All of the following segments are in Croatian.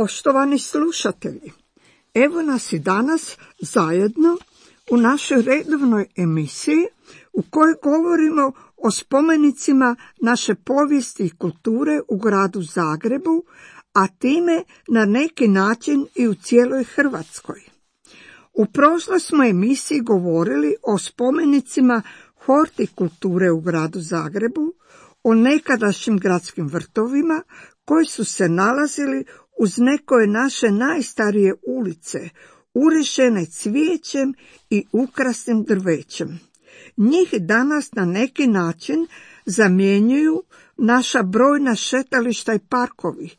Poštovani slušatelji, evo nas i danas zajedno u našoj redovnoj emisiji u kojoj govorimo o spomenicima naše povijesti i kulture u gradu Zagrebu, a time na neki način i u cijeloj Hrvatskoj. U prošloj smo emisiji govorili o spomenicima hortikulture u gradu Zagrebu, o nekadašnjim gradskim vrtovima koji su se nalazili uz nekoje naše najstarije ulice, urešene cvijećem i ukrasnim drvećem. Njih danas na neki način zamjenjuju naša brojna šetališta i parkovi,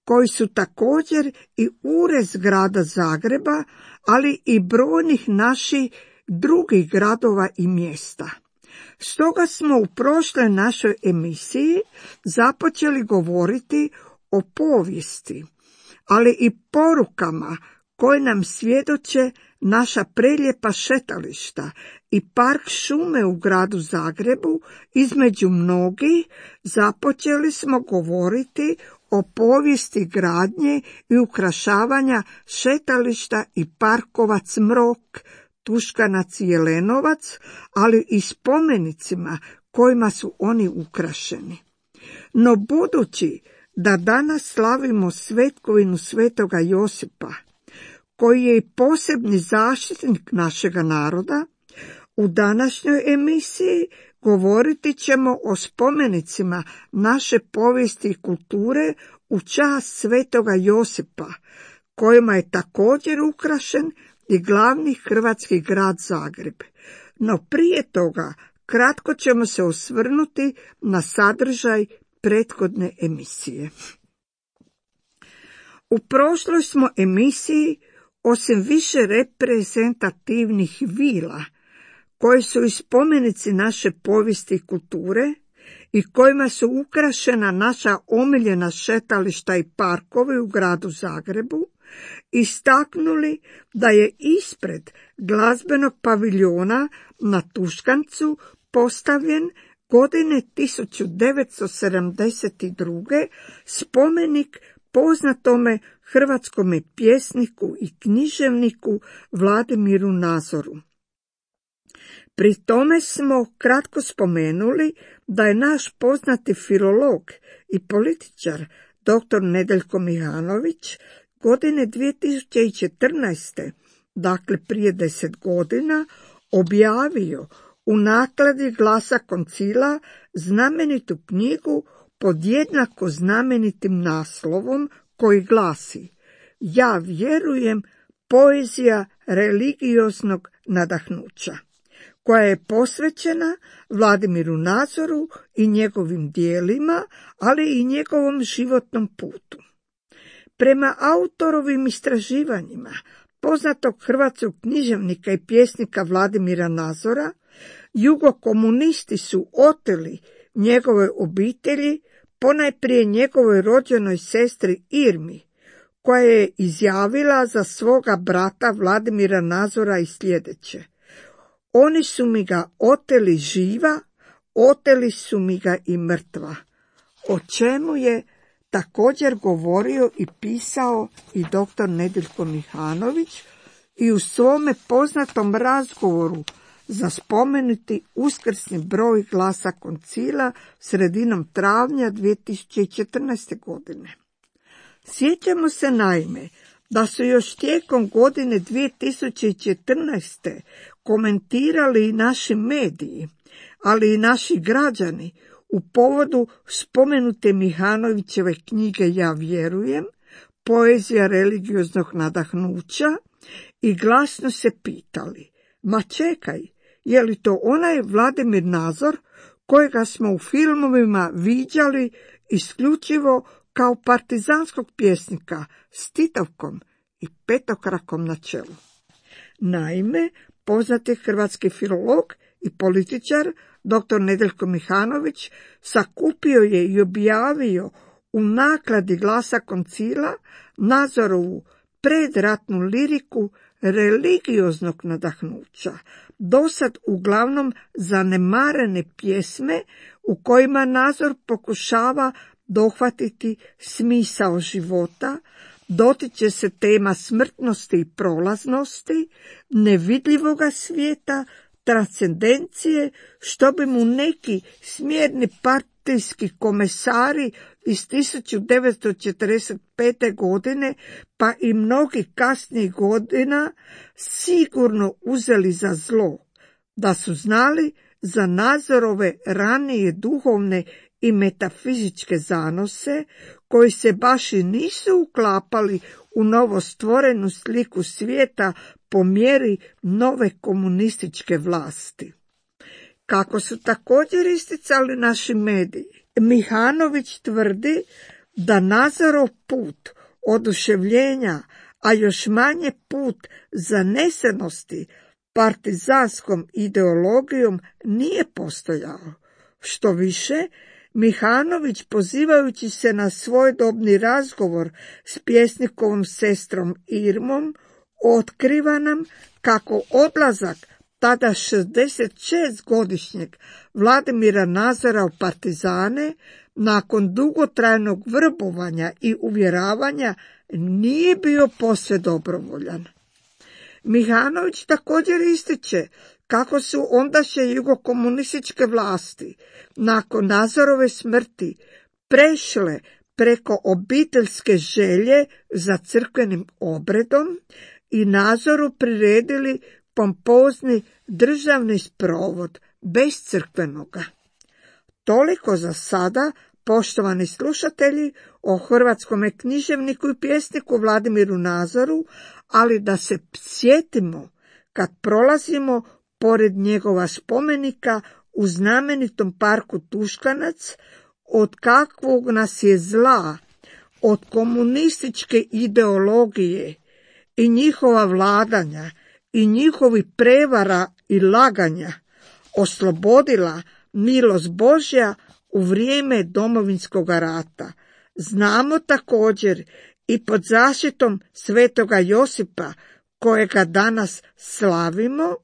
koji su također i urez grada Zagreba, ali i brojnih naših drugih gradova i mjesta. Stoga smo u prošloj našoj emisiji započeli govoriti o povijesti, ali i porukama koje nam svjedoče naša prelijepa šetališta i park šume u gradu Zagrebu. Između mnogih započeli smo govoriti o povijesti gradnje i ukrašavanja šetališta i parkova Cmrok, Tuškanac i Jelenovac, ali i spomenicima kojima su oni ukrašeni. No budući da danas slavimo svetkovinu svetoga Josipa, koji je i posebni zaštitnik našega naroda, u današnjoj emisiji govoriti ćemo o spomenicima naše povijesti i kulture u čast svetoga Josipa, kojima je također ukrašen i glavni hrvatski grad Zagreb. No prije toga kratko ćemo se osvrnuti na sadržaj prethodne emisije. U prošloj smo emisiji, osim više reprezentativnih vila, koje su i spomenici naše povijesti i kulture i kojima su ukrašena naša omiljena šetališta i parkovi u gradu Zagrebu, istaknuli da je ispred glazbenog paviljona na Tuškancu postavljen godine 1972. spomenik poznatome hrvatskome pjesniku i književniku Vladimiru Nazoru. Pri tome smo kratko spomenuli da je naš poznati filolog i političar dr. Nedeljko Mihanović godine 2014., dakle prije 10 godina, objavio u nakladi Glasa Koncila znamenitu knjigu pod jednako znamenitim naslovom koji glasi Ja vjerujem, poezija religioznog nadahnuća, koja je posvećena Vladimiru Nazoru i njegovim dijelima, ali i njegovom životnom putu. Prema autorovim istraživanjima poznatog hrvatskog književnika i pjesnika Vladimira Nazora, jugokomunisti su oteli njegove obitelji, ponajprije njegovoj rođenoj sestri Irmi, koja je izjavila za svoga brata Vladimira Nazora i sljedeće: Oni su mi ga oteli živa, oteli su mi ga i mrtva. O čemu je također govorio i pisao i dr. Nedeljko Mihanović i u svome poznatom razgovoru za spomenuti uskrsni broj Glasa Koncila sredinom travnja 2014. godine. Sjećamo se naime da su još tijekom godine 2014. komentirali i naši mediji, ali i naši građani u povodu spomenute Mihanovićeve knjige Ja vjerujem, poezija religioznog nadahnuća, i glasno se pitali: ma čekaj, je li to onaj Vladimir Nazor kojega smo u filmovima viđali isključivo kao partizanskog pjesnika s Titovkom i petokrakom na čelu? Naime, poznati hrvatski filolog i političar dr. Nedeljko Mihanović sakupio je i objavio u nakladi Glasa Koncila Nazorovu predratnu liriku religioznog nadahnuća, dosad uglavnom zanemarene pjesme u kojima Nazor pokušava dohvatiti smisao života, dotiče se tema smrtnosti i prolaznosti, nevidljivoga svijeta, transcendencije, što bi mu neki smjerni partijski komesari iz 1945. godine, pa i mnogi kasnijih godina, sigurno uzeli za zlo, da su znali za Nazorove ranije duhovne i metafizičke zanose, koji se baš i nisu uklapali u novostvorenu sliku svijeta po mjeri nove komunističke vlasti. Kako su također isticali naši mediji, Mihanović tvrdi da Nazorov put oduševljenja, a još manje put zanesenosti partizanskom ideologijom nije postojao. Što više, Mihanović, pozivajući se na svojedobni razgovor s pjesnikovom sestrom Irmom, otkriva nam kako odlazak tada 66-godišnjeg Vladimira Nazora u partizane, nakon dugotrajnog vrbovanja i uvjeravanja, nije bio posve dobrovoljan. Mihanović također ističe kako su ondašnje jugokomunističke vlasti nakon Nazorove smrti prešle preko obiteljske želje za crkvenim obredom i Nazoru priredili pompozni državni sprovod bez crkvenoga. Toliko za sada, poštovani slušatelji, o hrvatskome književniku i pjesniku Vladimiru Nazoru, ali da se sjetimo kad prolazimo pored njegova spomenika u znamenitom parku Tuškanac, od kakvog nas je zla, od komunističke ideologije i njihova vladanja i njihovi prevara i laganja oslobodila milost Božja u vrijeme Domovinskog rata. Znamo također i pod zaštitom svetoga Josipa, kojega danas slavimo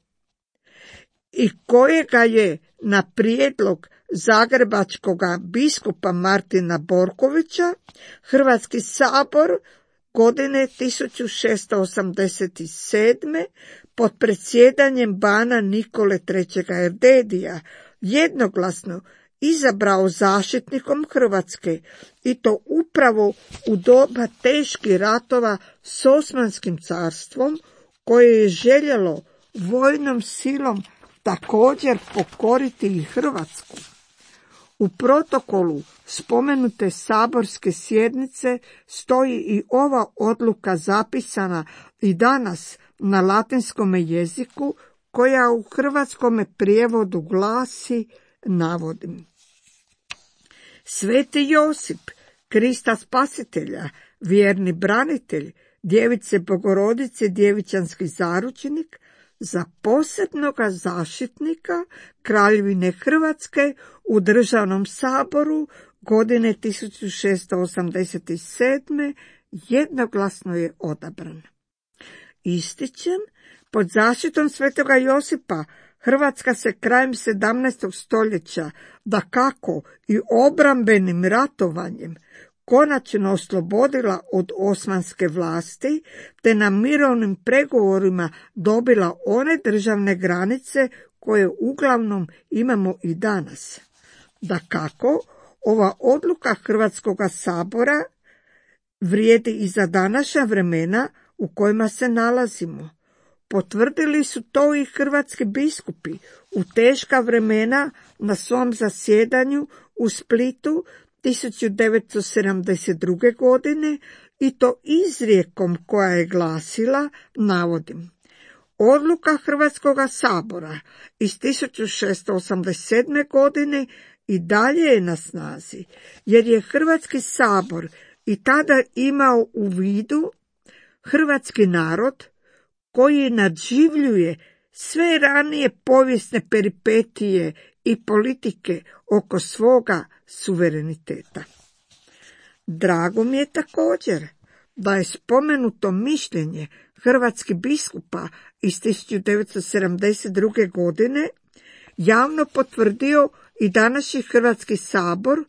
i kojega je na prijedlog zagrebačkoga biskupa Martina Borkovića Hrvatski sabor godine 1687. pod predsjedanjem bana Nikole III. Erdedija jednoglasno izabrao zaštitnikom Hrvatske, i to upravo u doba teških ratova s Osmanskim carstvom, koje je željelo vojnom silom također pokoriti i Hrvatsku. U protokolu spomenute saborske sjednice stoji i ova odluka zapisana i danas na latinskom jeziku, koja u hrvatskome prijevodu glasi, navodim: Sveti Josip, Krista Spasitelja, vjerni branitelj, Djevice Bogorodice, djevičanski zaručnik, za posebnoga zaštitnika Kraljevine Hrvatske u Državnom saboru godine 1687. jednoglasno je odabran. Ističem, pod zaštitom svetoga Josipa Hrvatska se krajem 17. stoljeća, dakako i obrambenim ratovanjem, konačno oslobodila od osmanske vlasti, te na mirovnim pregovorima dobila one državne granice koje uglavnom imamo i danas. Dakako, ova odluka Hrvatskoga sabora vrijedi i za današnja vremena u kojima se nalazimo. Potvrdili su to i hrvatski biskupi u teška vremena na svom zasjedanju u Splitu 1972. godine, i to izrijekom koja je glasila, navodim: Odluka Hrvatskoga sabora iz 1687. godine i dalje je na snazi, jer je Hrvatski sabor i tada imao u vidu hrvatski narod koji nadživljuje sve ranije povijesne peripetije i politike oko svoga suvereniteta. Drago mi je također da je spomenuto mišljenje hrvatskih biskupa iz 1972. godine javno potvrdio i današnji Hrvatski sabor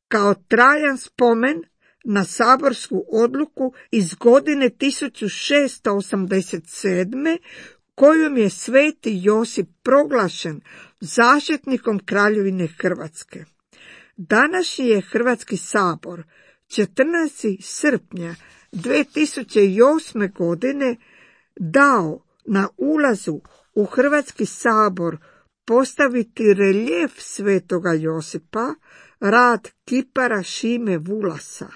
kao trajan spomen na saborsku odluku iz godine 1687. kojom je sveti Josip proglašen zaštitnikom Kraljevine Hrvatske. Današnji je Hrvatski sabor 14. srpnja 2008. godine dao na ulazu u Hrvatski sabor postaviti reljef svetoga Josipa, rad kipara Šime Vulasa.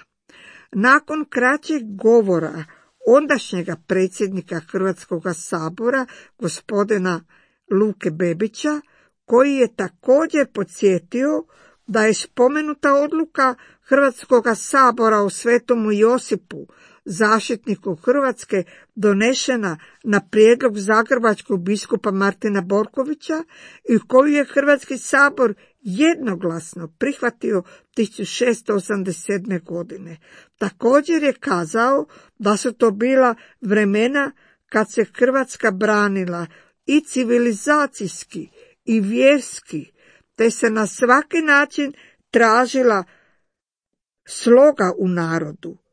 Nakon kraćeg govora ondašnjega predsjednika Hrvatskoga sabora, gospodina Luke Bebića, koji je također podsjetio da je spomenuta odluka Hrvatskoga sabora o svetomu Josipu, zaštitniku Hrvatske, donešena na prijedlog zagrebačkog biskupa Martina Borkovića i koju je Hrvatski sabor jednoglasno prihvatio 1687. godine. Također je kazao da su to bila vremena kad se Hrvatska branila i civilizacijski i vjerski, te se na svaki način tražila sloga u narodu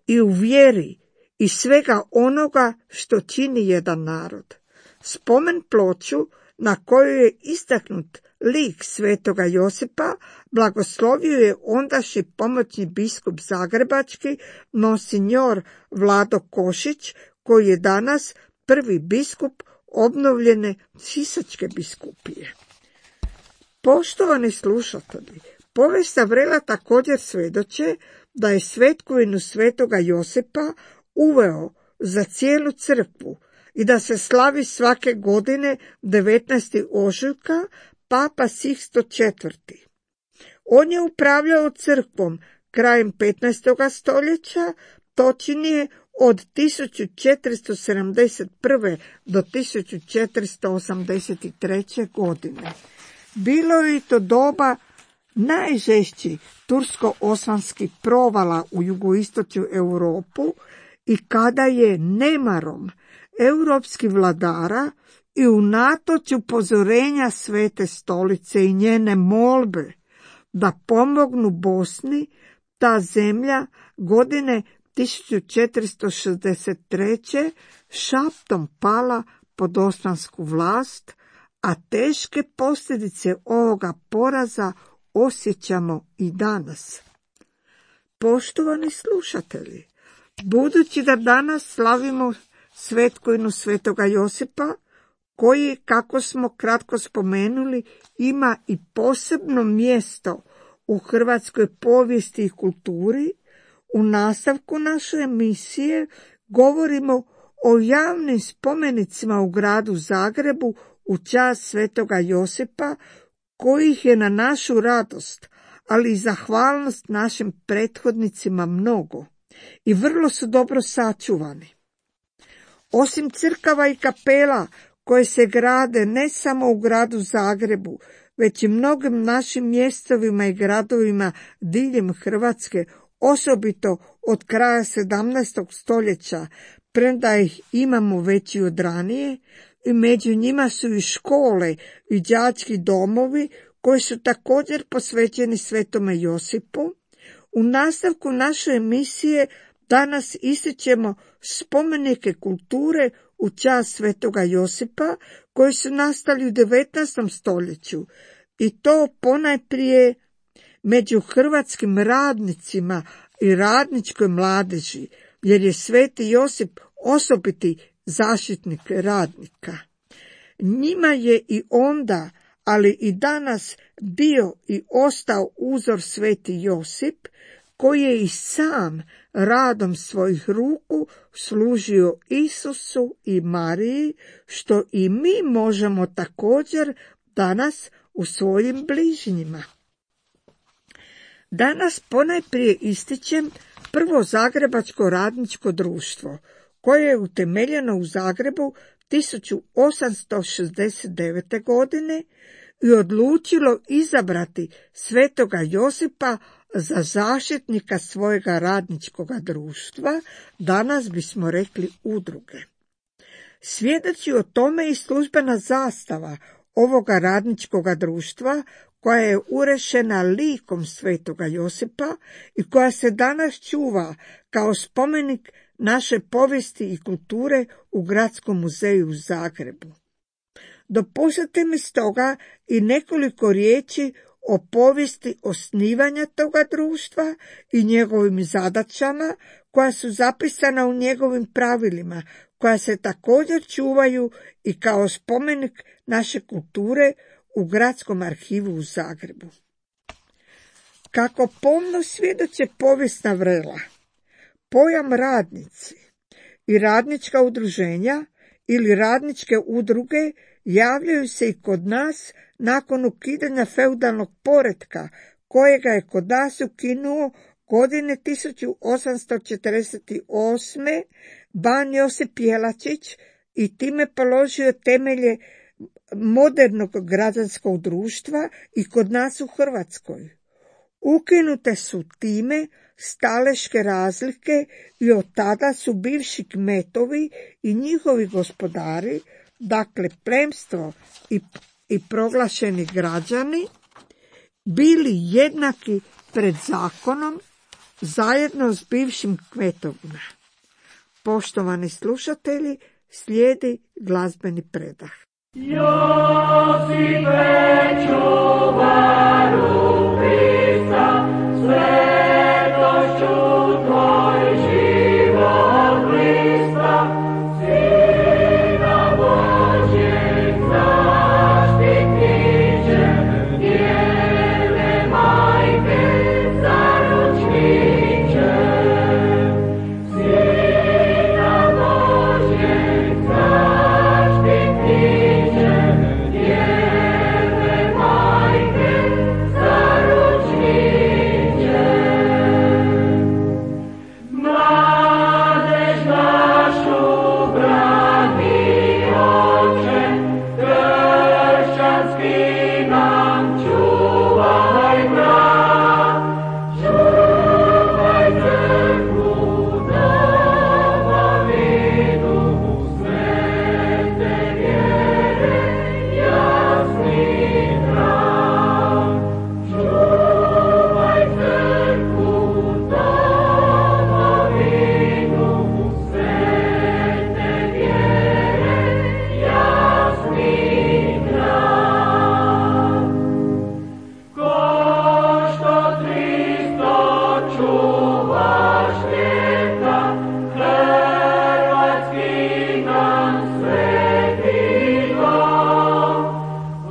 i u vjeri i svega onoga što čini jedan narod. Spomen ploču na kojoj je istaknut lik svetoga Josipa blagoslovio je ondašnji pomoćni biskup zagrebački monsinjor Vlado Košić, koji je danas prvi biskup obnovljene Sisačke biskupije. Poštovani slušatelji, povijest Vrela također svjedoče da je svetkovinu svetoga Josipa uveo za cijelu crkvu i da se slavi svake godine 19. ožujka Papa Sixto IV. On je upravljao crkvom krajem 15. stoljeća, točnije od 1471. do 1483. godine. Bilo je to doba najžešći tursko-osmanskih provala u jugoistočnu Europu i kada je nemarom europskih vladara i unatoč upozorenja Svete stolice i njene molbe da pomognu Bosni, ta zemlja godine 1463. šaptom pala pod osmansku vlast, a teške posljedice ovoga poraza osjećamo i danas. Poštovani slušatelji, budući da danas slavimo svetkovinu svetoga Josipa, koji, kako smo kratko spomenuli, ima i posebno mjesto u hrvatskoj povijesti i kulturi, u nastavku naše emisije govorimo o javnim spomenicima u gradu Zagrebu u čast svetoga Josipa, kojih je na našu radost, ali i zahvalnost našim prethodnicima mnogo i vrlo su dobro sačuvani. Osim crkava i kapela koje se grade ne samo u gradu Zagrebu, već i mnogim našim mjestovima i gradovima diljem Hrvatske, osobito od kraja 17. stoljeća, premda ih imamo već i od ranije, i među njima su i škole i đački domovi koji su također posvećeni svetome Josipu. U nastavku naše emisije danas ističemo spomenike kulture u čast svetoga Josipa koji su nastali u 19. stoljeću i to ponajprije među hrvatskim radnicima i radničkoj mladeži, jer je sveti Josip osobiti zaštitnik radnika. Njima je i onda, ali i danas bio i ostao uzor sveti Josip, koji je i sam radom svojih ruku služio Isusu i Mariji, što i mi možemo također danas u svojim bližnjima. Danas ponajprije ističem prvo Zagrebačko radničko društvo, koje je utemeljeno u Zagrebu 1869. godine i odlučilo izabrati svetoga Josipa za zaštitnika svojega radničkoga društva, danas bismo rekli udruge. Svjedoči o tome i službena zastava ovoga radničkoga društva, koja je urešena likom svetoga Josipa i koja se danas čuva kao spomenik naše povijesti i kulture u Gradskom muzeju u Zagrebu. Dopustite mi stoga i nekoliko riječi o povijesti osnivanja toga društva i njegovim zadaćama koja su zapisana u njegovim pravilima, koja se također čuvaju i kao spomenik naše kulture u Gradskom arhivu u Zagrebu. Kako pomno svjedoče povijesna vrela, pojam radnici i radnička udruženja ili radničke udruge javljaju se i kod nas nakon ukidanja feudalnog poretka, kojega je kod nas ukinuo godine 1848. ban Josip Jelačić i time položio temelje modernog građanskog društva i kod nas u Hrvatskoj. Ukinute su time staleške razlike i od tada su bivši kmetovi i njihovi gospodari, dakle plemstvo i proglašeni građani, bili jednaki pred zakonom zajedno s bivšim kmetovima. Poštovani slušatelji, slijedi glazbeni predah. Josipe, čuvaru Krista, svetošću tvoj život Krista, Sina Božjeg zaštitniče, Djeve Majke zaručniče, Sina Božjeg zaštitniče, Djeve Majke zaručniče. Mladež našu brani Oče, kršćanski nam čuvaj brat, čuvaj crkvu domovinu svete vjere, jasni brat, čuvaj crkvu domovinu svete vjere, jasni brat. Ko što Hristo čuvaš vijeka, hrvatski nam sveti dom, u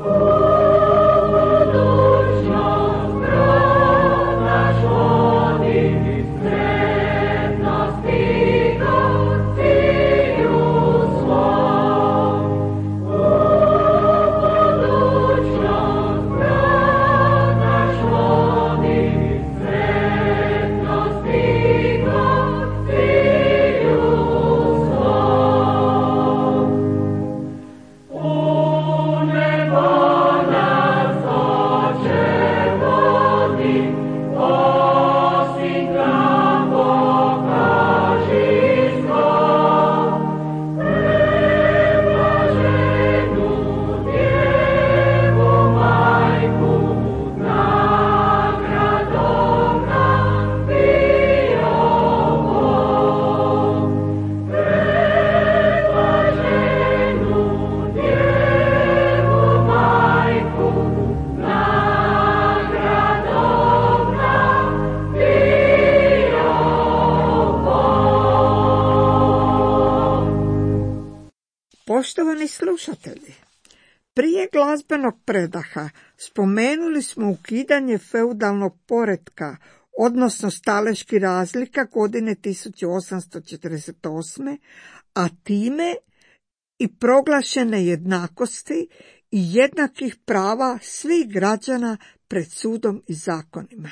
budućnost brod naš vodi, sretno stigo cilju svom. U budućnost brod naš vodi, sretno stigo cilju svom. U nebo nas Oče vodi, osim nam pokaži svom. Preblaženu Djevu Majku, nagradom nam bio Bog. Preblaženu Djevu Majku, nagradom nam bio Bog. Poštovani slušatelji, prije glazbenog predaha spomenuli smo ukidanje feudalnog poretka, odnosno staleški razlika godine 1848. a time i proglašene jednakosti i jednakih prava svih građana pred sudom i zakonima.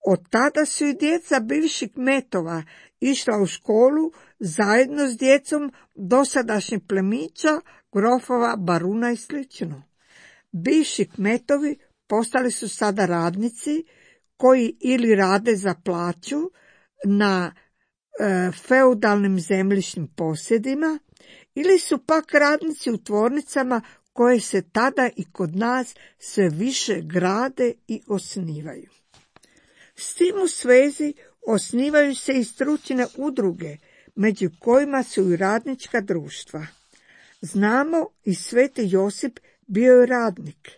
Od tada su i djeca bivših kmetova išla u školu zajedno s djecom dosadašnjih plemića, grofova, baruna i sl. Bivši kmetovi postali su sada radnici koji ili rade za plaću na feudalnim zemljišnim posjedima ili su pak radnici u tvornicama koje se tada i kod nas sve više grade i osnivaju. S tim u svezi osnivaju se i stručne udruge, među kojima su i radnička društva. Znamo i Sveti Josip bio je radnik,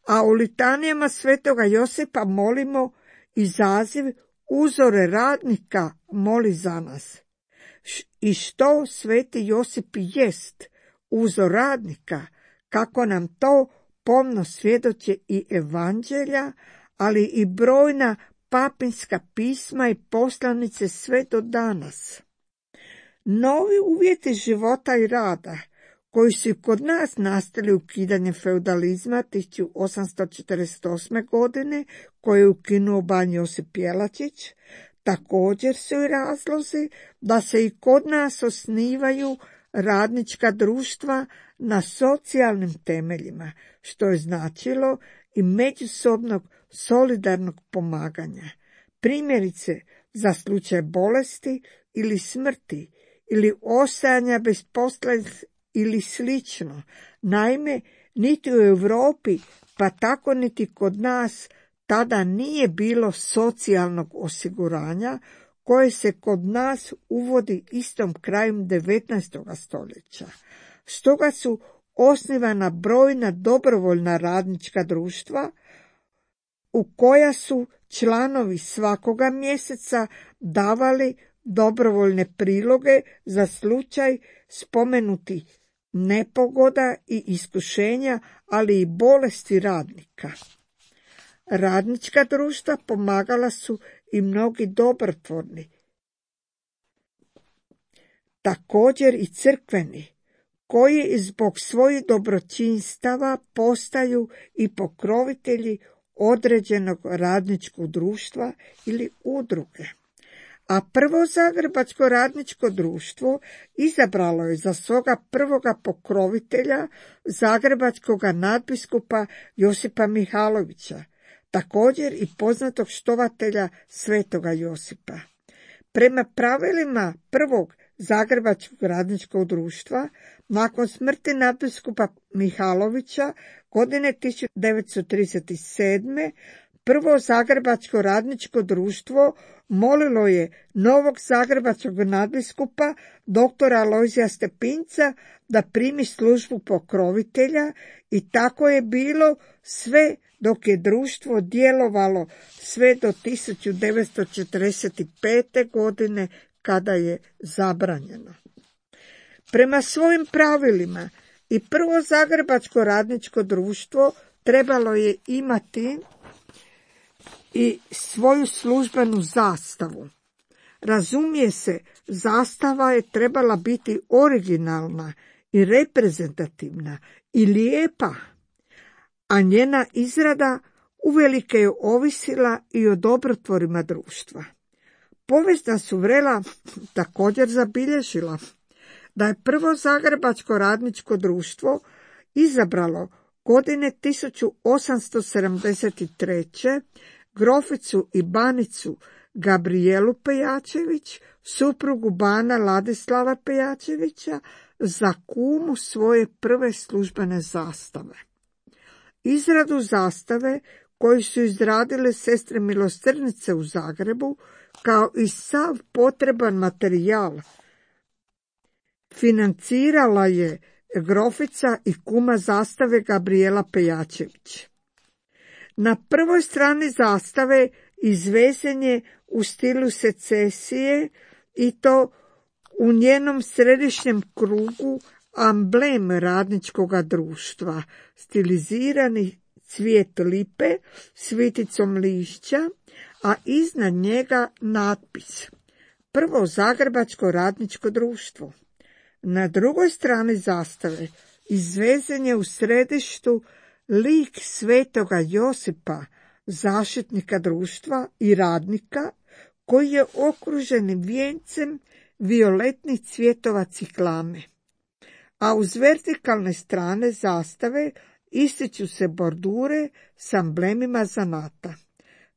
a u litanijama Svetoga Josipa molimo izaziv uzore radnika moli za nas. I što Sveti Josip jest, uzor radnika, kako nam to pomno svjedoče i evanđelja, ali i brojna papinska pisma i poslanice sve do danas. Novi uvjeti života i rada, koji su kod nas nastali ukidanjem feudalizma 1848. godine, koje je ukinuo ban Josip Jelačić, također su i razlozi da se i kod nas osnivaju radnička društva na socijalnim temeljima, što je značilo i međusobnog solidarnog pomaganja. Primjerice, za slučaj bolesti ili smrti ili ostajanja bez posla ili slično. Naime, niti u Europi, pa tako niti kod nas, tada nije bilo socijalnog osiguranja koje se kod nas uvodi istom krajem 19. stoljeća. Stoga su osnivana brojna dobrovoljna radnička društva u koja su članovi svakoga mjeseca davali dobrovoljne priloge za slučaj spomenuti nepogoda i iskušenja, ali i bolesti radnika. Radnička društva pomagala su i mnogi dobrotvorni, također i crkveni, koji zbog svojih dobročinstava postaju i pokrovitelji određenog radničkog društva ili udruge. A prvo Zagrebačko radničko društvo izabralo je za svoga prvoga pokrovitelja zagrebačkog nadbiskupa Josipa Mihalovića, također i poznatog štovatelja Svetoga Josipa. Prema pravilima prvog Zagrebačkog radničkog društva, nakon smrti nadbiskupa Mihalovića godine 1937. prvo Zagrebačko radničko društvo molilo je novog zagrebačkog nadbiskupa doktora Alojzija Stepinca da primi službu pokrovitelja i tako je bilo sve dok je društvo djelovalo sve do 1945. godine kada je zabranjeno. Prema svojim pravilima i prvo Zagrebačko radničko društvo trebalo je imati i svoju službenu zastavu. Razumije se, zastava je trebala biti originalna i reprezentativna i lijepa, a njena izrada uvelike je ovisila i o dobrotvorima društva. Povijest nas u vrela također zabilježila da je prvo Zagrebačko radničko društvo izabralo godine 1873. groficu i banicu Gabrijelu Pejačević, suprugu bana Ladislava Pejačevića, za kumu svoje prve službene zastave. Izradu zastave koju su izradile sestre milosrdnice u Zagrebu, kao i sav potreban materijal, financirala je grofica i kuma zastave Gabrijela Pejačević. Na prvoj strani zastave izvesen je u stilu secesije i to u njenom središnjem krugu amblem radničkoga društva, stilizirani cvijet lipe s viticom lišća, a iznad njega natpis Prvo Zagrebačko radničko društvo. Na drugoj strani zastave izvezen je u središtu lik Svetoga Josipa, zaštitnika društva i radnika, koji je okružen vijencem violetnih cvjetova ciklame. A uz vertikalne strane zastave ističu se bordure s amblemima zanata.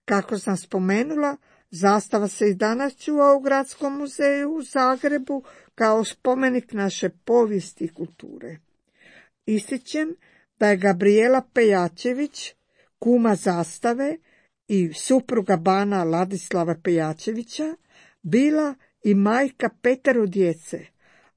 Kako sam spomenula, zastava se i danas čuva u Gradskom muzeju u Zagrebu kao spomenik naše povijesti i kulture. Ističem da je Gabrijela Pejačević, kuma Zastave i supruga bana Ladislava Pejačevića, bila i majka 5 djece,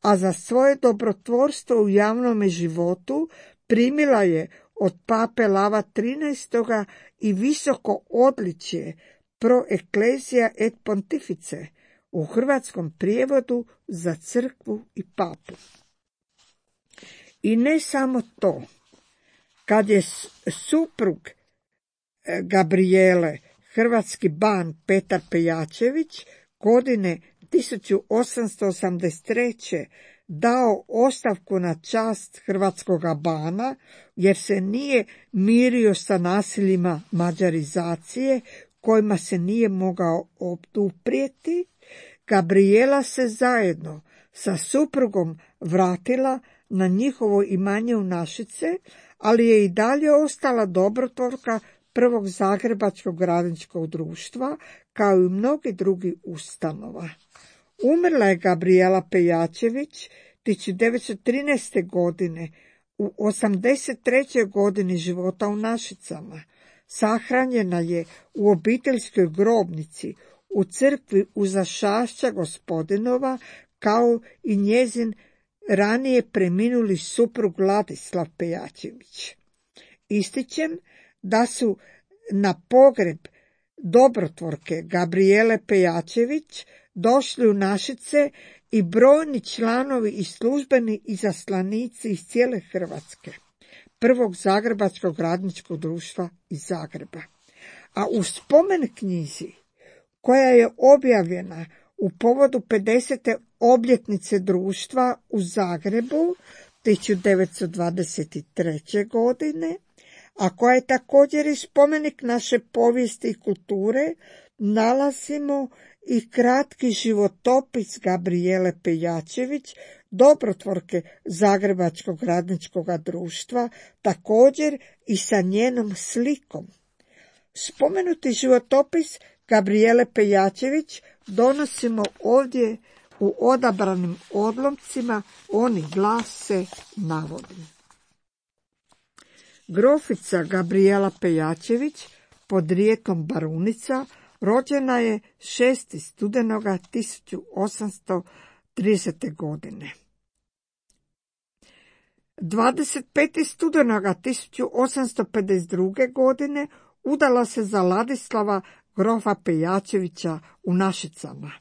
a za svoje dobrotvorstvo u javnome životu primila je od pape Lava XIII. I visoko odličje Pro Ecclesia et Pontifice, u hrvatskom prijevodu za crkvu i papu. I ne samo to, kad je suprug Gabrijele, hrvatski ban Petar Pejačević, godine 1883. dao ostavku na čast hrvatskoga bana, jer se nije mirio sa nasiljima mađarizacije, kojima se nije mogao oduprijeti, Gabrijela se zajedno sa suprugom vratila na njihovo imanje u Našice, ali je i dalje ostala dobrotvorka prvog Zagrebačkog radničkog društva, kao i mnogi drugi ustanova. Umrla je Gabrijela Pejačević 1913. godine, u 83. godini života u Našicama. Sahranjena je u obiteljskoj grobnici u crkvi uza Šašća Gospodinova, kao i njezin ranije preminuli suprug Ladislav Pejačević. Ističem da su na pogreb dobrotvorke Gabrijele Pejačević došli u Našice i brojni članovi i službeni izaslanici iz cijele Hrvatske, prvog Zagrebačkog radničkog društva iz Zagreba. A u spomen knjizi, koja je objavljena u povodu 50. obljetnice društva u Zagrebu 1923. godine, a koja je također i spomenik naše povijesti i kulture, nalazimo i kratki životopis Gabrijele Pejačević, dobrotvorke Zagrebačkog radničkog društva, također i sa njenom slikom. Spomenuti životopis Gabrijele Pejačević donosimo ovdje u odabranim odlomcima, oni glase navodim. Grofica Gabrijela Pejačević, podrijetlom Barunica, rođena je 6. studenoga 1830. godine. 25. studenoga 1852. godine udala se za Ladislava grofa Pejačevića u Našicama.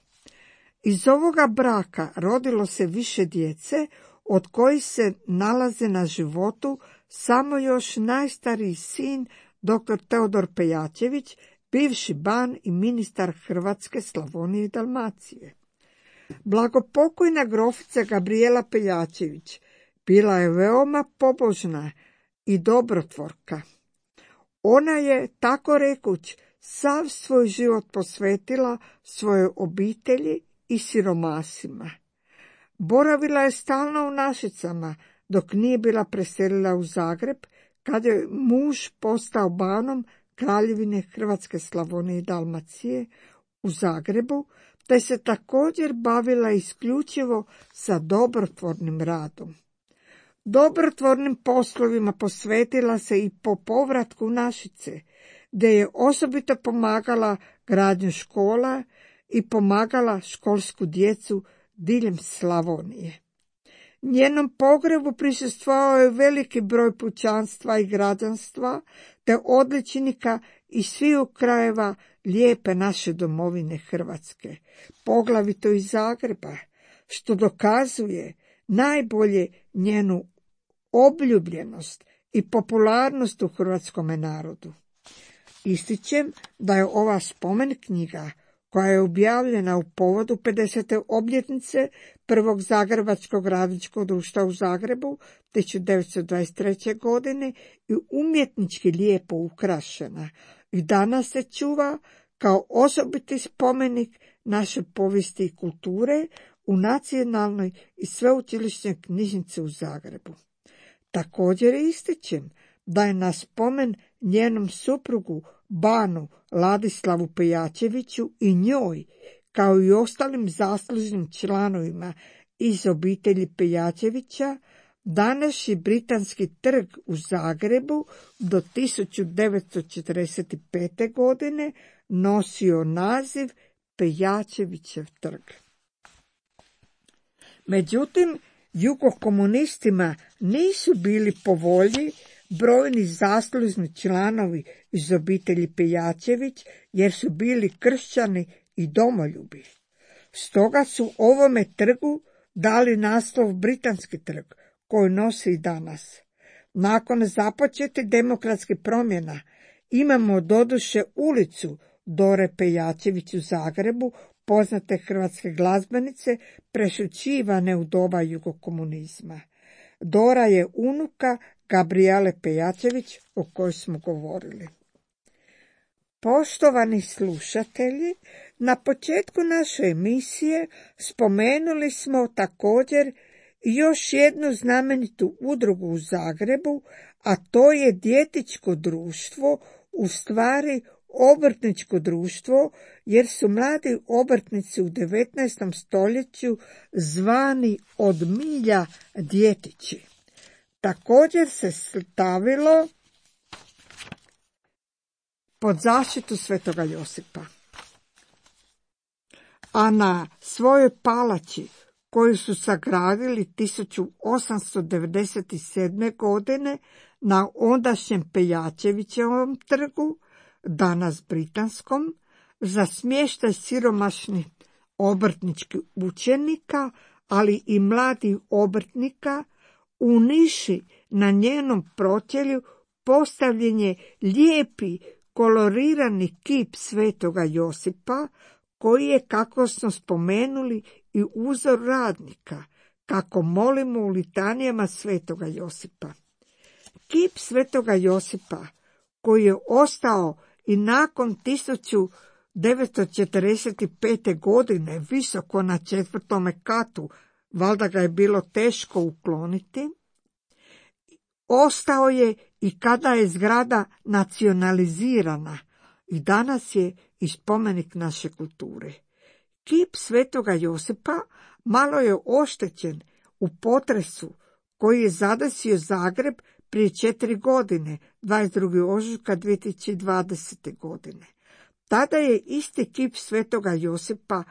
Iz ovoga braka rodilo se više djece, od kojih se nalaze na životu samo još najstariji sin, dr. Teodor Pejačević, bivši ban i ministar Hrvatske, Slavonije i Dalmacije. Blagopokojna grofica Gabrijela Pejačević bila je veoma pobožna i dobrotvorka. Ona je, tako rekuć, sav svoj život posvetila svojoj obitelji i siromasima. Boravila je stalno u Našicama, dok nije bila preselila u Zagreb, kad je muž postao banom Kraljevine Hrvatske, Slavonije i Dalmacije u Zagrebu, te se također bavila isključivo sa dobrotvornim radom. Dobrotvornim poslovima posvetila se i po povratku u Našice, gdje je osobito pomagala gradnju škola i pomagala školsku djecu diljem Slavonije. Njenom pogrebu prisustvovao je veliki broj pučanstva i građanstva, te odličnika iz sviju krajeva lijepe naše domovine Hrvatske, poglavito iz Zagreba, što dokazuje najbolje njenu obljubljenost i popularnost u hrvatskome narodu. Ističem da je ova spomen knjiga, koja je objavljena u povodu 50. obljetnice prvog Zagrebačkog radničkog društva u Zagrebu 1923. godine, i umjetnički lijepo ukrašena i danas se čuva kao osobiti spomenik naše povijesti i kulture u Nacionalnoj i sveučilišnoj knjižnici u Zagrebu. Također ističem da je na spomen njenom suprugu banu Ladislavu Pejačeviću i njoj, kao i ostalim zaslužnim članovima iz obitelji Pejačevića, Današnji Britanski trg u Zagrebu do 1945. godine nosio naziv Pejačevićev trg. Međutim, jugokomunistima nisu bili po volji brojni zaslužni članovi iz obitelji Pejačević, jer su bili kršćani i domoljubi. Stoga su ovome trgu dali naslov Britanski trg, koji nosi i danas. Nakon započetih demokratskih promjena imamo doduše ulicu Dore Pejačević u Zagrebu, poznate hrvatske glazbenice, prešućivane u doba jugokomunizma. Dora je unuka Gabrijele Pejačević, o kojoj smo govorili. Poštovani slušatelji, na početku naše emisije spomenuli smo također još jednu znamenitu udrugu u Zagrebu, a to je djetičko društvo, u stvari obrtničko društvo, jer su mladi obrtnici u 19. stoljeću zvani od milja djetići. Također se stavilo pod zaštitu Svetoga Josipa. A na svojoj palači, koju su sagradili 1897. godine na ondašnjem Pejačevićevom trgu, danas britanskom, za smještaj siromašnih obrtničkih učenika, ali i mladih obrtnika, u niši na njenom pročelju postavljen je lijepi kolorirani kip Svetoga Josipa, koji je, kako smo spomenuli, i uzor radnika, kako molimo u litanijama Svetoga Josipa. Kip Svetoga Josipa, koji je ostao i nakon 1945. godine visoko na 4. katu, valjda ga je bilo teško ukloniti, ostao je i kada je zgrada nacionalizirana i danas je i spomenik naše kulture. Kip Svetoga Josipa malo je oštećen u potresu koji je zadesio Zagreb prije 4 godine, 22. ožujka 2020. godine. Tada je isti kip Svetoga Josipa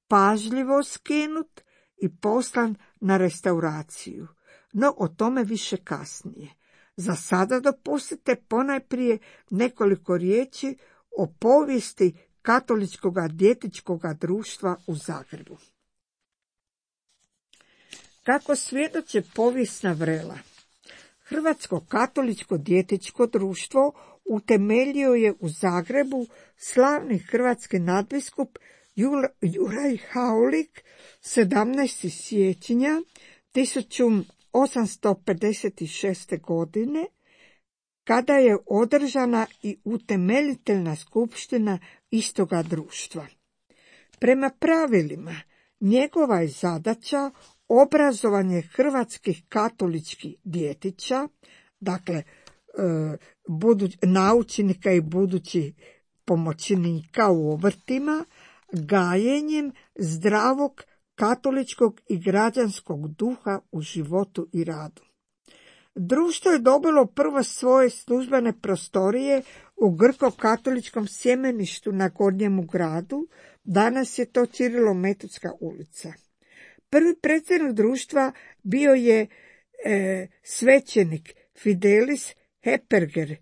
pažljivo skinut i poslan na restauraciju, no o tome više kasnije. Za sada dopustite ponajprije nekoliko riječi o povijesti katoličkog djetičkog društva u Zagrebu. Kako svjedoče povijesna vrela, Hrvatsko katoličko djetičko društvo utemeljio je u Zagrebu slavni hrvatski nadbiskup Juraj Haulik 17. siječnja 1856. godine, kada je održana i utemeljiteljna skupština istoga društva. Prema pravilima, njegova je zadaća obrazovanje hrvatskih katoličkih djetića, dakle naučnika i budućih pomoćnika u obrtima, gajenjem zdravog katoličkog i građanskog duha u životu i radu. Društvo je dobilo prvo svoje službene prostorije u grko-katoličkom sjemeništu na Gornjemu gradu, danas je to Cirilo-Metodska ulica. Prvi predsjednik društva bio je svećenik Fidelis Heperger,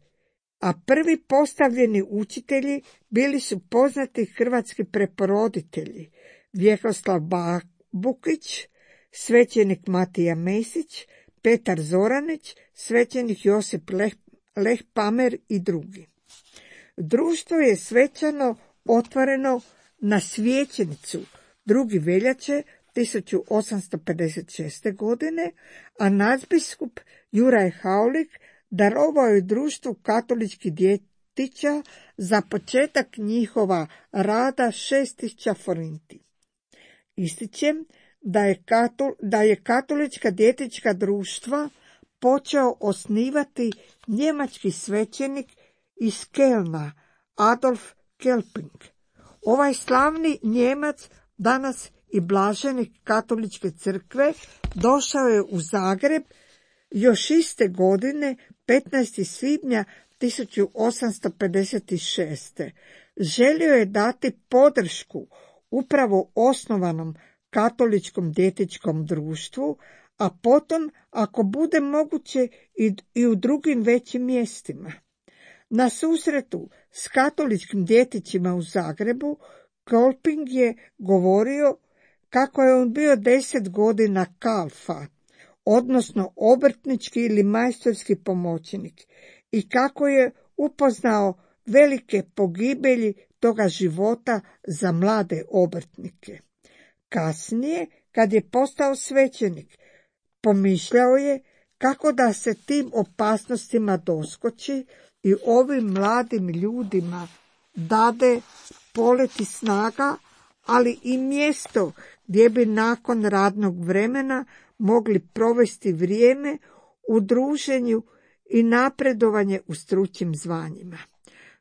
a prvi postavljeni učitelji bili su poznati hrvatski preporoditelji Vjekoslav Bukić, svećenik Matija Mesić, Petar Zoranić, svećenik Josip Leh Pamer i drugi. Društvo je svečano otvoreno na Svečenicu 2. veljače 1856. godine, a nadbiskup Juraj Haulik darovao je društvu katoličkih djetića za početak njihova rada 6.000 forinti. Ističem da je katolička djetička društva počeo osnivati njemački svećenik iz Kelna, Adolf Kelping. Ovaj slavni Njemac, danas i blaženik katoličke crkve, došao je u Zagreb Još iste godine, 15. svibnja 1856. želio je dati podršku upravo osnovanom katoličkom dječjem društvu, a potom, ako bude moguće, i u drugim većim mjestima. Na susretu s katoličkim djetićima u Zagrebu, Kolping je govorio kako je on bio 10 godina kalfa, odnosno obrtnički ili majstorski pomoćnik, i kako je upoznao velike pogibelji toga života za mlade obrtnike. Kasnije, kad je postao svećenik, pomišljao je kako da se tim opasnostima doskoči i ovim mladim ljudima dade poleti snaga, ali i mjesto gdje bi nakon radnog vremena mogli provesti vrijeme u druženju i napredovanje u stručnim zvanjima.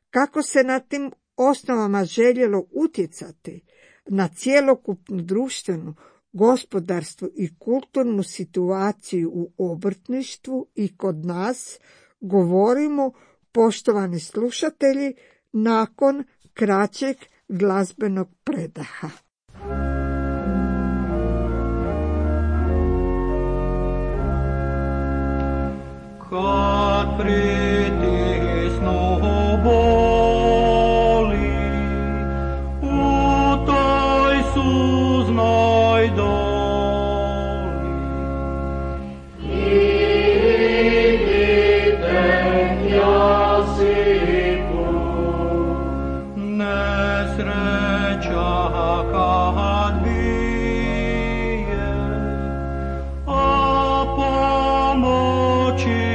Kako se na tim osnovama željelo utjecati na cjelokupnu društvenu, gospodarsku i kulturnu situaciju u obrtništvu i kod nas, govorimo, poštovani slušatelji, nakon kraćeg glazbenog predaha. Kad pritisnu boli u toj suznoj doli, idite Josipu, nesreća kad bije, a pomoći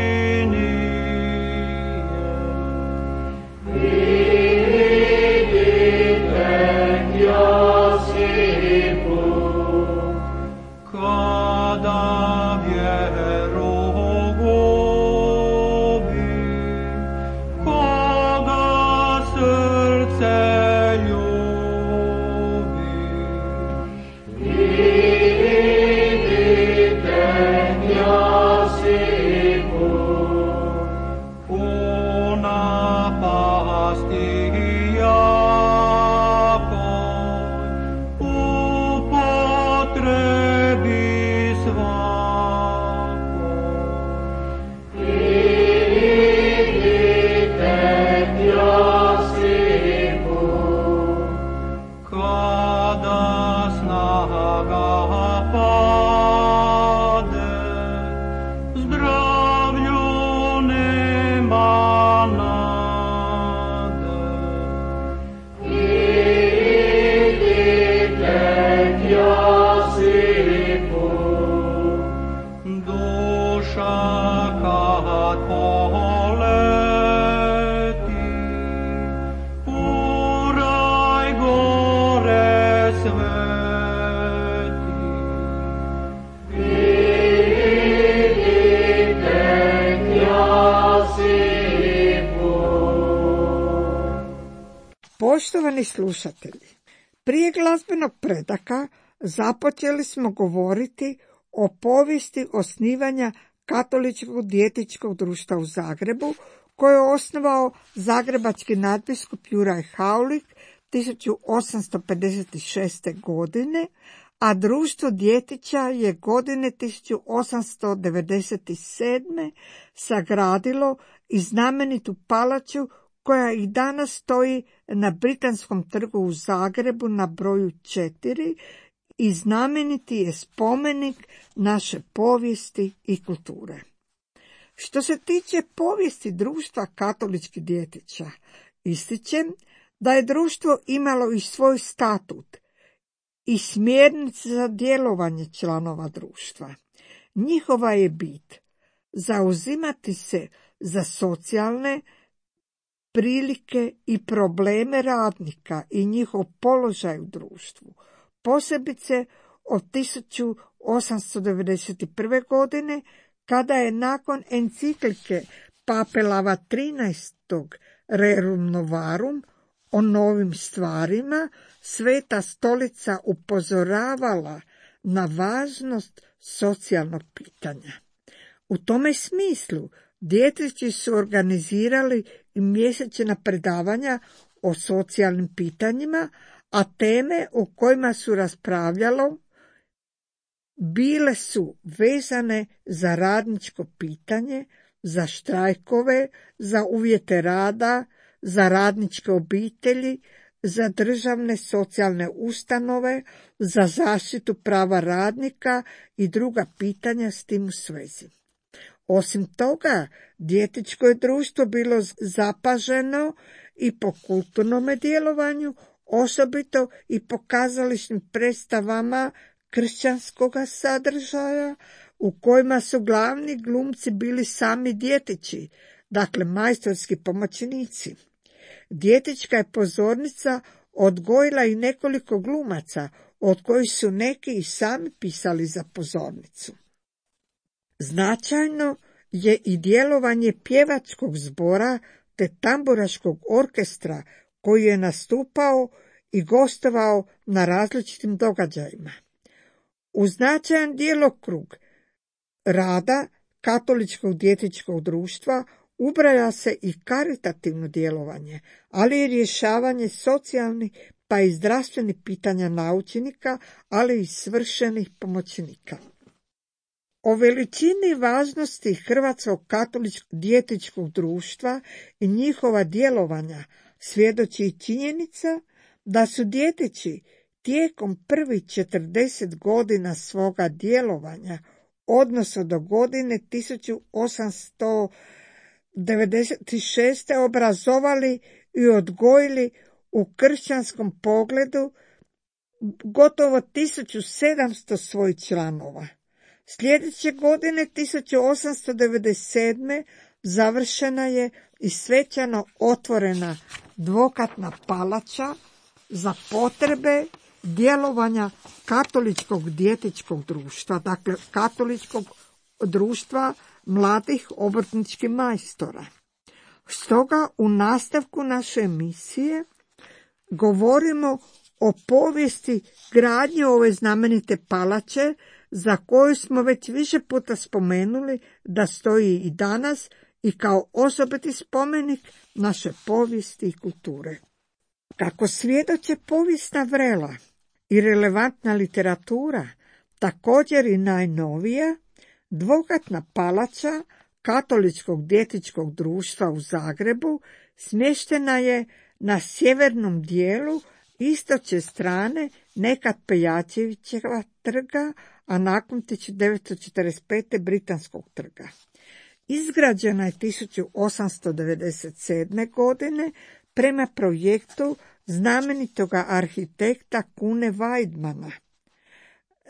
Poštovani slušatelji, prije glazbenog predaka započeli smo govoriti o povijesti osnivanja Katoličkog dječjeg društva u Zagrebu, koje je osnovao zagrebački nadbiskup Juraj Haulik 1856. godine, a društvo djetića je godine 1897. sagradilo i znamenitu palaču koja i danas stoji na Britanskom trgu u Zagrebu na broju 4 i znameniti je spomenik naše povijesti i kulture. Što se tiče povijesti društva katoličkih djetića, ističem da je društvo imalo i svoj statut i smjernice za djelovanje članova društva. Njihova je bit zauzimati se za socijalne prilike i probleme radnika i njihov položaj u društvu, posebice od 1891. godine, kada je nakon enciklike Pape Lava XIII. Rerum Novarum o novim stvarima, Sveta stolica upozoravala na važnost socijalnog pitanja. U tome smislu dječaci su organizirali i mjesečna predavanja o socijalnim pitanjima, a teme o kojima su raspravljalo bile su vezane za radničko pitanje, za štrajkove, za uvjete rada, za radničke obitelji, za državne socijalne ustanove, za zaštitu prava radnika i druga pitanja s tim u svezi. Osim toga, dječačko je društvo bilo zapaženo i po kulturnome djelovanju, osobito i po kazališnim predstavama kršćanskoga sadržaja, u kojima su glavni glumci bili sami dječaci, dakle majstorski pomoćnici. Dječačka je pozornica odgojila i nekoliko glumaca, od kojih su neki i sami pisali za pozornicu. Značajno je i djelovanje pjevačkog zbora te tamburaškog orkestra koji je nastupao i gostovao na različitim događajima. U značajan djelokrug rada katoličkog dječačkog društva ubraja se i karitativno djelovanje, ali i rješavanje socijalnih pa i zdravstvenih pitanja naučenika, ali i svršenih pomoćnika. O veličini i važnosti Hrvatskog katoličkog dječačkog društva i njihova djelovanja svjedoči i činjenica da su dječaci tijekom prvih 40 godina svoga djelovanja, odnosno do godine 1896. obrazovali i odgojili u kršćanskom pogledu gotovo 1700 svojih članova. Sljedeće godine 1897. završena je i svečano otvorena dvokatna palača za potrebe djelovanja katoličkog dječačkog društva, dakle katoličkog društva mladih obrtničkih majstora. Stoga u nastavku naše emisije govorimo o povijesti gradnje ove znamenite palače, za koju smo već više puta spomenuli da stoji i danas i kao osobiti spomenik naše povijesti i kulture. Kako svjedoče povijesna vrela i relevantna literatura, također i najnovija, dvokatna palača katoličkog dječačkog društva u Zagrebu smještena je na sjevernom dijelu istočne strane nekad Pejačevićeva trga, a nakon 1945. Britanskog trga. Izgrađena je 1897. godine prema projektu znamenitoga arhitekta Kune Weidmana.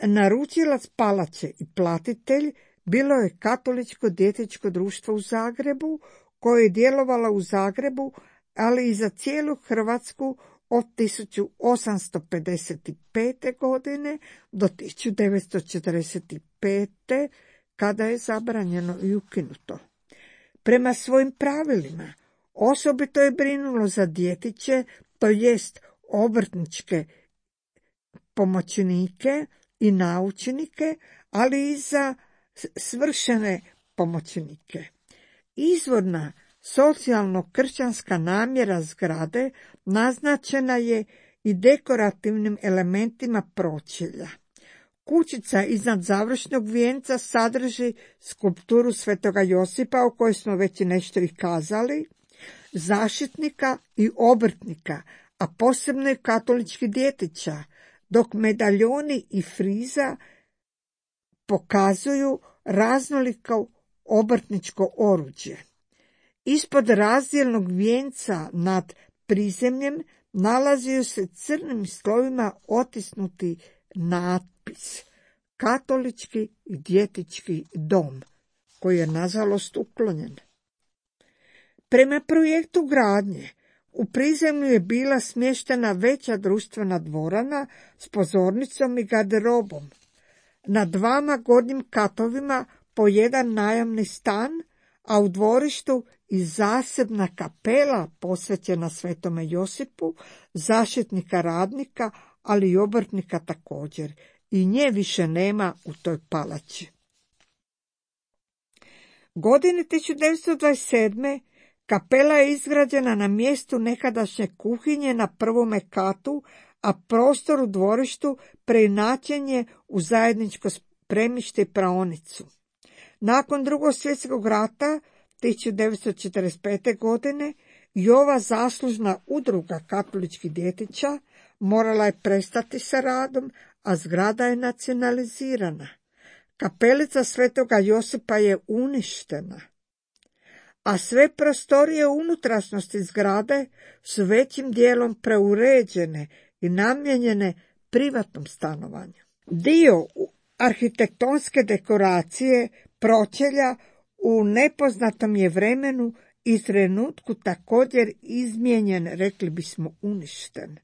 Naručilac palače i platitelj bilo je Katoličko dječačko društvo u Zagrebu, koje je djelovalo u Zagrebu, ali i za cijelu Hrvatsku od 1855. godine do 1945. kada je zabranjeno i ukinuto. Prema svojim pravilima osobito je brinulo za djetiće, to jest obrtničke pomoćnike i naučnike, ali i za svršene pomoćnike. Izvorna socijalno-kršćanska namjera zgrade naznačena je i dekorativnim elementima pročelja. Kućica iznad završnog vijenca sadrži skulpturu Svetoga Josipa, o kojoj smo već nešto i kazali, zaštitnika i obrtnika, a posebno i katolički djetića, dok medaljoni i friza pokazuju raznoliko obrtničko oruđe. Ispod razdjelnog vijenca nad prizemljem nalazio se crnim slovima otisnuti natpis Katolički i dječački dom, koji je nažalost uklonjen. Prema projektu gradnje u prizemlju je bila smještena veća društvena dvorana s pozornicom i garderobom. Na dvama gornjim katovima po jedan najamni stan, a u dvorištu i zasebna kapela posvećena Svetome Josipu, zaštitnika radnika, ali i obrtnika također. I nje više nema u toj palači. Godine 1927. kapela je izgrađena na mjestu nekadašnje kuhinje na prvome katu, a prostor u dvorištu preinačen je u zajedničko spremište i praonicu. Nakon Drugog svjetskog rata 1945. godine i ova zaslužna udruga katoličkih djetića morala je prestati sa radom, a zgrada je nacionalizirana. Kapelica Svetoga Josipa je uništena, a sve prostorije u unutrašnjosti zgrade su većim dijelom preuređene i namijenjene privatnom stanovanju. Dio arhitektonske dekoracije pročelja u nepoznatom je vremenu i trenutku također izmijenjen, rekli bismo uništen.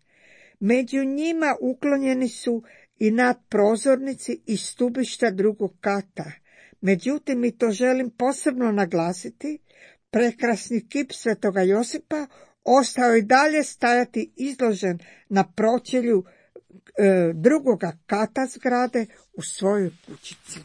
Među njima uklonjeni su i nadprozornici i stubišta drugog kata. Međutim, i to želim posebno naglasiti, prekrasni kip Svetoga Josipa ostao i dalje stajati izložen na pročelju drugoga kata zgrade u svojoj kućici.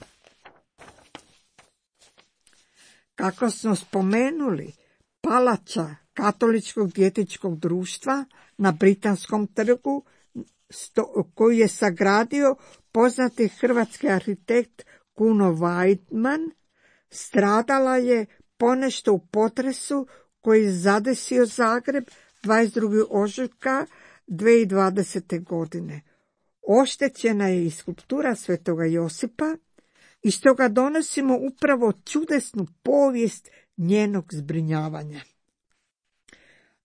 Kako smo spomenuli, palača Katoličkog djetičkog društva na Britanskom trgu, koju je sagradio poznati hrvatski arhitekt Kuno Weidman, stradala je ponešto u potresu koji je zadesio Zagreb 22. ožujka 2020. godine. Oštećena je i skulptura Svetoga Josipa i stoga donosimo upravo čudesnu povijest njenog zbrinjavanja.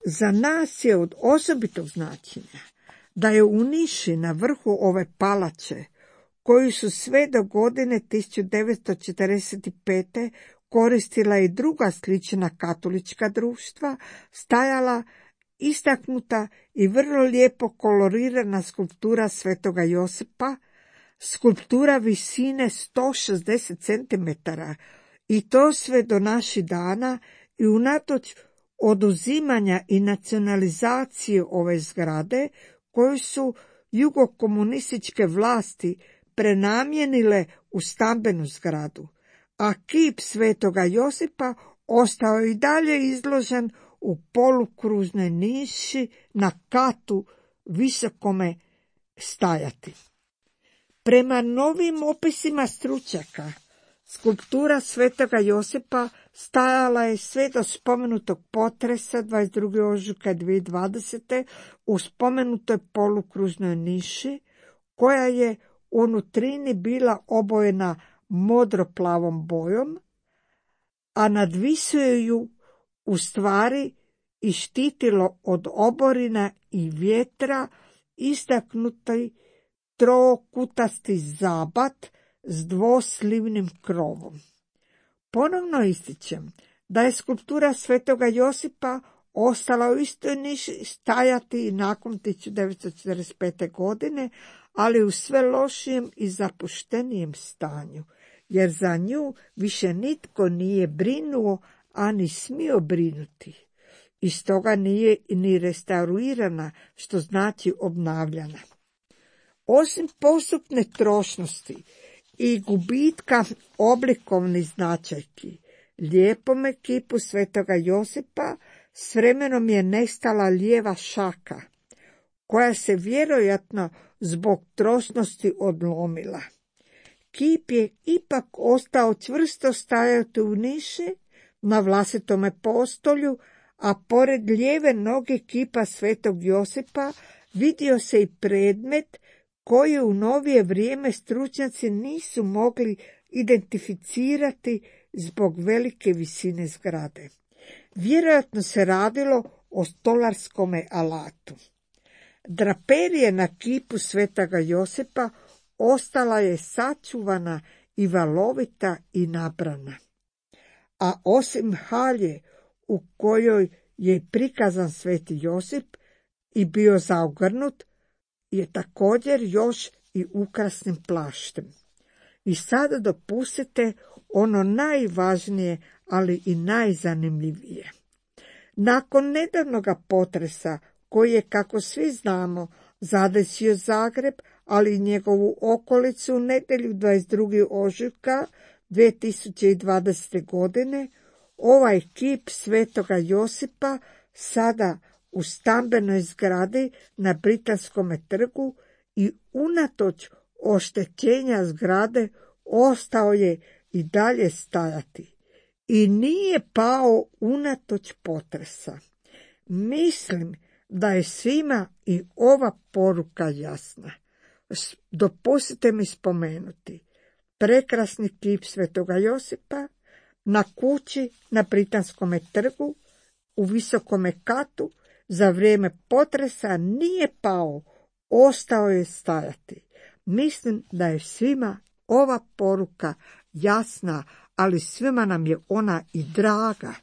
Za nas je od osobitog značenja da je u niši na vrhu ove palače, koju su sve do godine 1945. koristila i druga slična katolička društva, stajala istaknuta i vrlo lijepo kolorirana skulptura Svetoga Josipa, skulptura visine 160 cm, i to sve do naših dana, i unatoč oduzimanja i nacionalizacije ove zgrade, koju su jugokomunističke vlasti prenamijenile u stambenu zgradu, a kip Svetoga Josipa ostao je i dalje izložen u polukružnoj niši na katu visokome stajati. Prema novim opisima stručnjaka, skulptura Svetoga Josipa stajala je sve do spomenutog potresa 22. ožujka 2020. u spomenutoj polukružnoj niši, koja je u nutrini bila obojena modroplavom bojom, a nadvisuje ju u stvari i štitilo od oborina i vjetra istaknuti trokutasti zabat s dvoslivnim krovom. Ponovno ističem da je skulptura Svetoga Josipa ostala u istoj niši stajati i nakon 1945. godine, ali u sve lošijem i zapuštenijem stanju, jer za nju više nitko nije brinuo, ani smio brinuti. I stoga nije ni restaurirana, što znači obnavljana. Osim postupne trošnosti i gubitka oblikovnih značajki, lijepome kipu Svetoga Josipa s vremenom je nestala lijeva šaka, koja se vjerojatno zbog trošnosti odlomila. Kip je ipak ostao čvrsto stajati u niši na vlastitome postolju, a pored lijeve noge kipa Svetog Josipa vidio se i predmet koji u novije vrijeme stručnjaci nisu mogli identificirati zbog velike visine zgrade. Vjerojatno se radilo o stolarskome alatu. Draperije na kipu Svetoga Josipa ostala je sačuvana i valovita i nabrana. A osim halje u kojoj je prikazan Sveti Josip i bio zaogrnut, je također još i ukrasnim plaštem. I sada dopustite ono najvažnije, ali i najzanimljivije. Nakon nedavnoga potresa, koji je, kako svi znamo, zadesio Zagreb, ali i njegovu okolicu u nedjelju 22. ožujka 2020. godine ovaj kip svetoga Josipa sada u stambenoj zgradi na Britanskom trgu i unatoč oštećenja zgrade ostao je i dalje stajati i nije pao unatoč potresa. Mislim da je svima i ova poruka jasna. Dopustite mi spomenuti prekrasni kip svetoga Josipa na kući na Britanskom trgu u visokome katu za vrijeme potresa nije pao, ostao je stajati. Mislim da je svima ova poruka jasna, ali svima nam je ona i draga.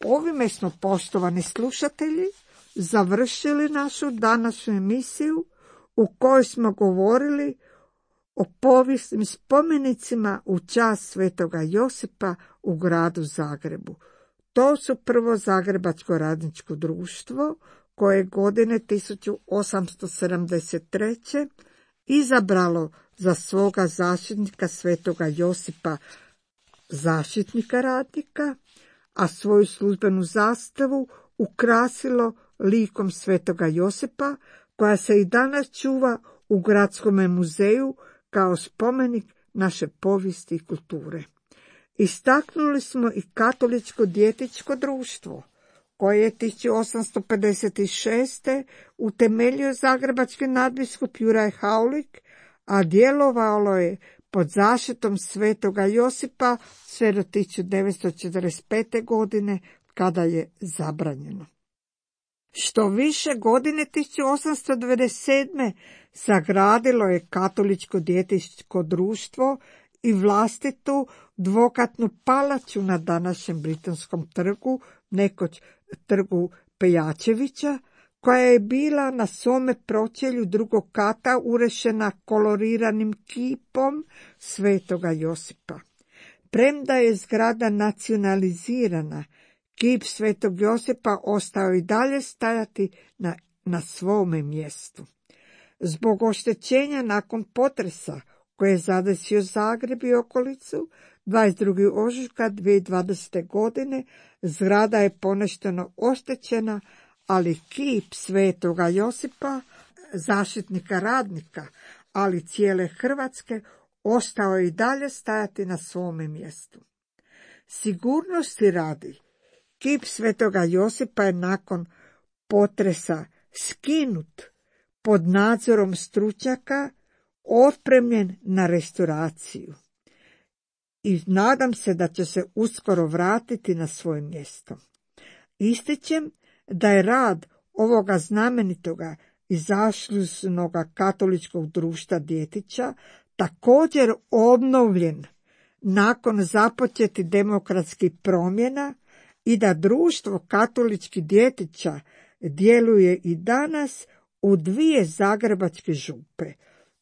Ovime smo, poštovani slušatelji, završili našu današnju emisiju u kojoj smo govorili o povijesnim spomenicima u čast svetoga Josipa u gradu Zagrebu. To su prvo Zagrebačko radničko društvo, koje godine 1873. izabralo za svoga zaštitnika svetoga Josipa zaštitnika radnika, a svoju službenu zastavu ukrasilo likom svetoga Josipa, koja se i danas čuva u Gradskom muzeju kao spomenik naše povijesti i kulture. Istaknuli smo i Katoličko djetičko društvo, koje je 1856. utemeljio zagrebački nadbiskup Juraj Haulik, a djelovalo je pod zaštitom svetoga Josipa sve do 1945. godine, kada je zabranjeno. Što više godine 1897. sagradilo je Katoličko djetičko društvo i vlastitu dvokatnu palaču na današnjem Britanskom trgu, nekoć trgu Pejačevića, koja je bila na svome pročelju drugog kata urešena koloriranim kipom svetoga Josipa. Premda je zgrada nacionalizirana, kip svetog Josipa ostao i dalje stajati na svome mjestu. Zbog oštećenja nakon potresa koje je zadesio Zagreb i okolicu, 22. ožujka 2020. godine zgrada je ponešteno oštećena, ali kip svetoga Josipa, zaštitnika radnika, ali cijele Hrvatske, ostao je i dalje stajati na svome mjestu. Sigurnosti radi, kip svetoga Josipa je nakon potresa skinut pod nadzorom stručnjaka, otpremljen na restauraciju i nadam se da će se uskoro vratiti na svoje mjesto. Ističem da je rad ovoga znamenitoga i zaslužnoga katoličkog društva djetića također obnovljen nakon započetih demokratskih promjena i da društvo katoličkih djetića djeluje i danas u dvije zagrebačke župe.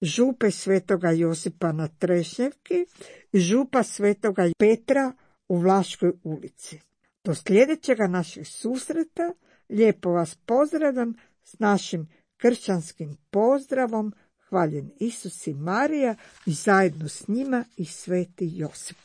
Župe svetoga Josipa na Trešnjevki i župa svetoga Petra u Vlaškoj ulici. Do sljedećega našeg susreta lijepo vas pozdravljam s našim kršćanskim pozdravom. Hvaljen Isus i Marija i zajedno s njima i sveti Josip.